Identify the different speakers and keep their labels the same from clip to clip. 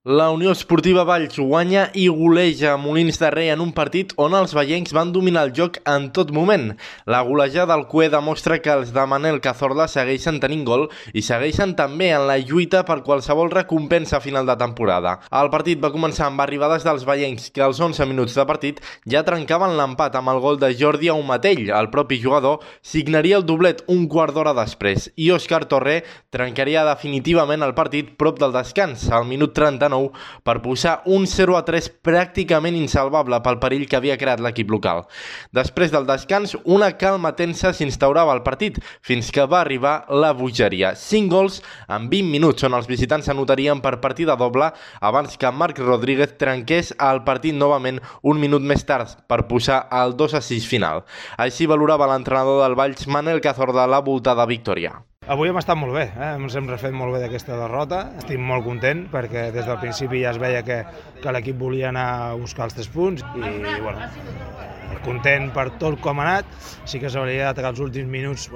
Speaker 1: La Unió Esportiva Valls guanya i goleja Molins de Rei en un partit on els veiencs van dominar el joc en tot moment. La golejada del CUE demostra que els de Manel Cazorla segueixen tenint gol i segueixen també en la lluita per qualsevol recompensa a final de temporada. El partit va començar amb arribades dels veiencs que als 11 minuts de partit ja trencaven l'empat amb el gol de Jordi Aumatell. El propi jugador signaria el doblet un quart d'hora després i Òscar Torré trencaria definitivament el partit prop del descans, al minut 39, per posar un 0-3 pràcticament insalvable pel perill que havia creat l'equip local. Després del descans, una calma tensa s'instaurava al partit, fins que va arribar la bogeria. 5 gols en 20 minuts, on els visitants s'anotarien per partida doble abans que Marc Rodríguez trenqués el partit novament un minut més tard per posar el 2-6 final. Així valorava l'entrenador del Valls, Manel Cazorla, la voltada victòria.
Speaker 2: Avui hem estat molt bé, ens hem refet molt bé d'aquesta derrota. Estic molt content perquè des del principi ja es veia que l'equip volia anar a buscar els 3 punts i bueno, content per tot com ha anat. Sí que és veritat que als últims minuts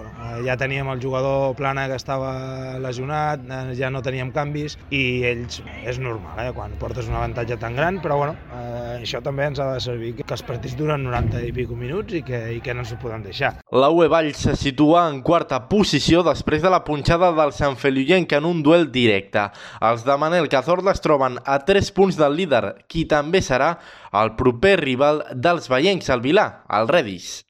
Speaker 2: ja teníem el jugador Plana que estava lesionat, ja no teníem canvis i ells, és normal, quan portes un avantatge tan gran, però bueno, això també ens ha de servir, que els partits duren 90 i pico minuts i que no ens ho podem deixar.
Speaker 1: La UE Valls se situa en quarta posició després de la punxada del Sant Feliuenc en un duel directe. Els de Manel Cazorla es troben a 3 punts del líder, qui també serà el proper rival dels veiencs, el Vilà, el Redis.